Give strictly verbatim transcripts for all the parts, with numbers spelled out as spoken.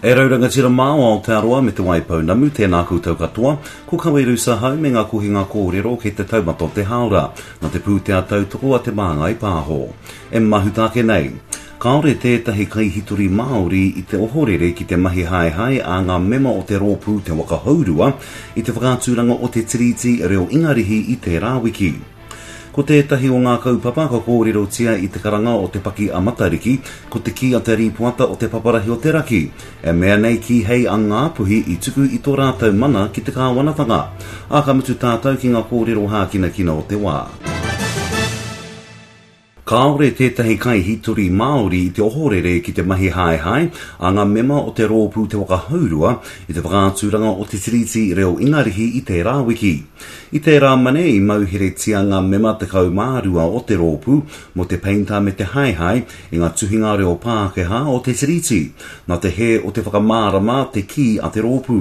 E rau rangatira mā o Aotearoa me Te Waipounamu, tēnā koutou katoa, ko Kaweru Sahau me ngā kohinga kōrero kei te taumata o te hāora, nā te pūtea tautoko a Te Māngai Pāho. E mahuta ake nei, kāore tētahi kaihitori Māori i te ohorere ki te mahi haehae a ngā mema o te rōpū Te Waka Hourua i te whakaaturanga o te Tiriti Reo Ingarihi i tērā wiki. Ko tētahi o ngā kaupapa ka kōrerotia i te karanga o te paki a Matariki, ko te kī a te rīpoata o te paparahi o te raki, e mea nei kīhei a Ngāpuhi i tuku i tō rātou mana ki te kāwanatanga. Ā, ka mutu tātou ki ngā kōrero hākinakina o te wā. Kāore tētahi kaihitori Māori i te ohorere ki te mahi haehae a ngā mema o te rōpū Te Waka Hourua i te whakaaturanga o te Tiriti Reo Ingarihi i tērā wiki. I tērā mane i mauheretia ngā mema tekau mā rua o te rōpū mō te peinta me te haehae i ngā tuhinga reo Pākehā o te Tiriti, nā te hē o te whakamārama te kī a te rōpū.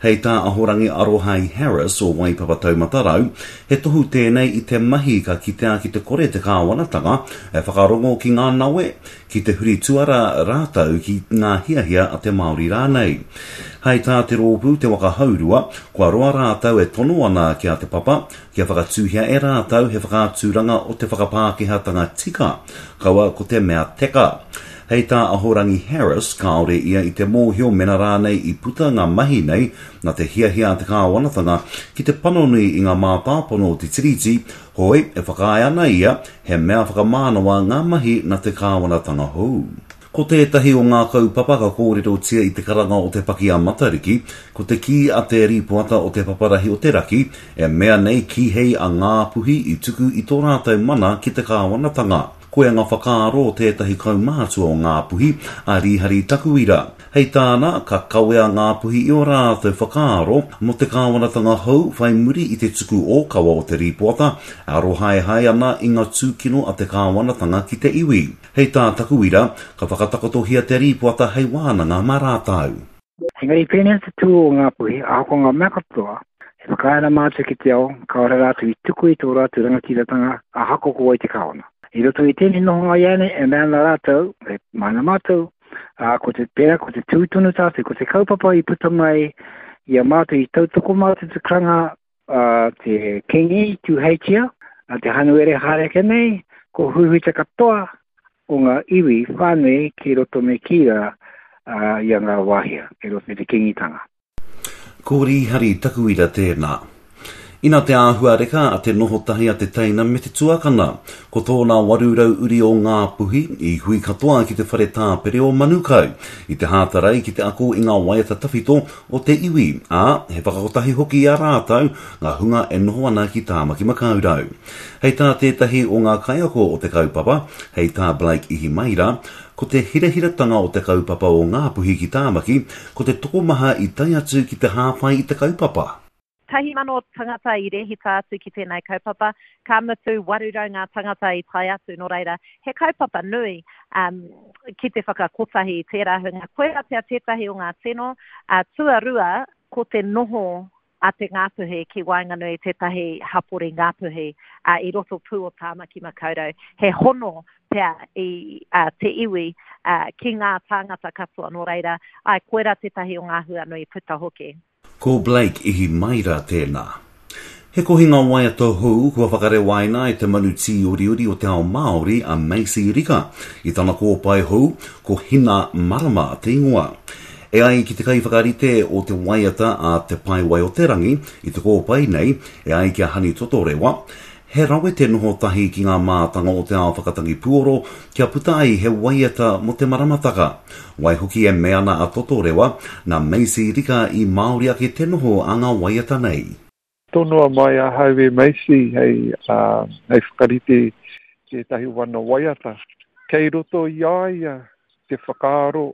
Hei tā Ahorangi Arohai Harris o Waipapa Taumata Rau, he tohu tēnei i te mahi ka kitea ki te kore te kāwanatanga e whakarongo ki ngā nawe, ki te huri tuara rātou ki ngā hiahia a te Māori rānei. Hei tā te rōpū Te Waka Hourua, kua roa rātou e tono ana ki a Te Papa kia whakatūhia e rātou he whakaaturanga o te whakapākehātanga tika, kaua ko te mea teka. Hei tā Ahorangi Harris, kāore ia i te mōhio mena rānei i puta ngā mahi nei nā te hiahia a te kāwanatanga ki te panoni i ngā mātāpono o te Tiriti, hoi e whakaae ana ia he mea whakamānawa ngā mahi nā te kāwanatanga hou. Ko tētahi o ngā kaupapa ka kōrerotia i te karanga o te paki a Matariki, ko te kī a te rīpoata o te paparahi o te raki, e mea nei kīhei a Ngāpuhi i tuku i tō rātou mana ki te kāwanatanga. Koia ngā whakaaro o tētahi kaumātua o Ngāpuhi, a Rīhari Takuira. Hei tāna, ka kawea Ngāpuhi i ō rātou whakaaro mō te kāwanatanga hou whai muri i te tuku ōkawa o te rīpoata e arohaehae ana i ngā tūkino a te kāwanatanga ki te iwi. Hei tā Takuira, ka whakatakotohia te rīpoata hei wānanga mā rātou. Engari pēnei te tū o Ngāpuhi, ahakoa ngā mea katoa, e whakaae ana mātou ki te ao, kāore rātou i tuku i tō rātou rangatiratanga ahakoa ko wai te kāwana. I roto i tēnei nohonga ianei, e mea ana rātou, e mana mātou, ā, ko te pērā, ko te tū tonu tātou, ko te kaupapa i puta mai i a mātou, i tautoko mātou te karanga a te Kingi Tūheitia, a te Hanuere haere ake nei, ko huihui te katoa o ngā iwi whānui ki roto me kīra i a Ngā Wāhia, ki roto i te Kingitanga. Ko Rīhari Takuira tēnā. Ina te āhua reka a te noho tahi a te teina me te tuakana. Ko tōna waru rau uri o Ngāpuhi i hui katoa ki te whare tāpere o Manukau, i te Hātarei ki te ako i ngā waiata tawhito o te iwi, ā, he whakakotahi hoki i a rātou ngā hunga e noho ana ki Tāmaki Makaurau. Hei tā tētahi o ngā kaiako o te kaupapa, hei tā Blake Ihimaera, ko te hirahiratanga o te kaupapa o Ngāpuhi ki Tāmaki, ko te tokomaha i tae atu ki te hāpai i te kaupapa. Tahi mano tangata i rehita atu ki tēnei kaupapa, ka mutu waru rau ngā tangata i tae atu, nō reira, he kaupapa nui um, ki te whakakotahi i tērā hunga. Koira pea tētahi o ngā tino, uh, tuarua, ko te noho a te Ngāpuhi ki waenganui tētahi hapori Ngāpuhi uh, i roto pū o Tāmaki Makaurau. He hono pea i uh, te iwi uh, ki ngā tāngata katoa, nō reira, ai, koira tētahi o ngā hua nui puta hoki. Ko Blake Ihimaera tēnā. He kohinga waiata hou kua whakarewaina e te manu tīoriori o te ao Māori a Macy Rika i tana kōpae hou, ko Hina Marama te ingoa. E ai ki te kaiwhakarite o te waiata a Te Paewai o te Rangi i te kōpae nei, e ai ki a Hani Totorewa, he rawe te noho tahi ki ngā mātanga o te ao whakatangi puoro kia puta ai he waiata mō te maramataka. Waihoki e mea ana a Totorewa, nā Macy Rika i Māori ake te noho a ngā waiata nei. Tonoa mai ahau e Macy hei, uh, hei whakarite tētahi wana waiata. Kei roto i a ia te whakaaro,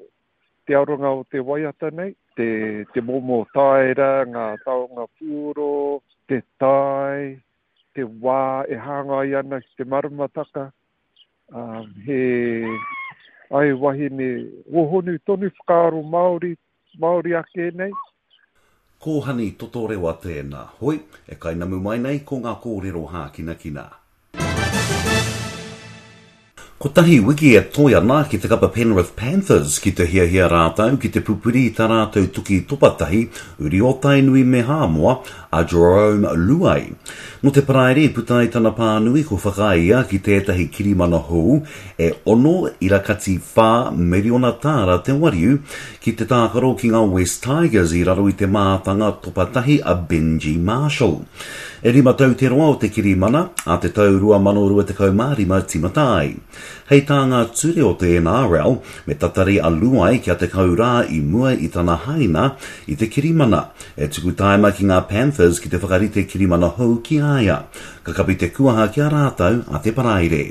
te aronga o te waiata nei, te, te momo taera, ngā taonga puoro, te tae, te wā e hāngai ana ki te maramataka. Um, he ai wahine hōhonu tonu whakaaro Māori, Māori ake nei. Ko Hani Totorewa tēnā. Hoi, e kainamu mai nei ko ngā kōrero hākinakina. Kotahi wiki e toe ana ki te kapa Penrith Panthers ki te hiahia rātou ki te pupuri i tā rātou tuki topatahi uri o Tainui me Hāmoa a Jarome Luai. Nō te Paraire i puta ai tana pānui ko whakaae ia ki tētahi kirimana hou e ono irakati whā miriona tāra te wariu ki te tākaro ki ngā West Tigers i raro i te mātanga topatahi a Benji Marshall. E rima tau te roa o te kirimana, a te tau rua mano rua tekau mā rima tīmata ai. Hei tā ngā ture o te N R L, me tatari a Luai kia tekau rā i mua i tana haina i te kirimana, e tuku taima ki ngā Panthers ki te whakarite kirimana hou ki a ia. Ka kapi te kuaha ki a rātou a te Paraire.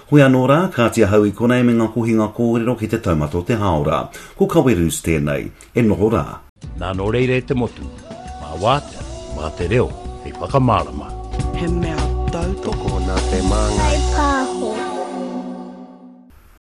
Hoi anō rā, kāti ahau i konei me ngā kohinga kōrero ki te taumata o te hāora. Ko Kawerus tēnei, e noho rā. Nā nō reira e te motu, mā wātea, mā te reo, hei whakamārama. He mea tautoko Tokona te māngai.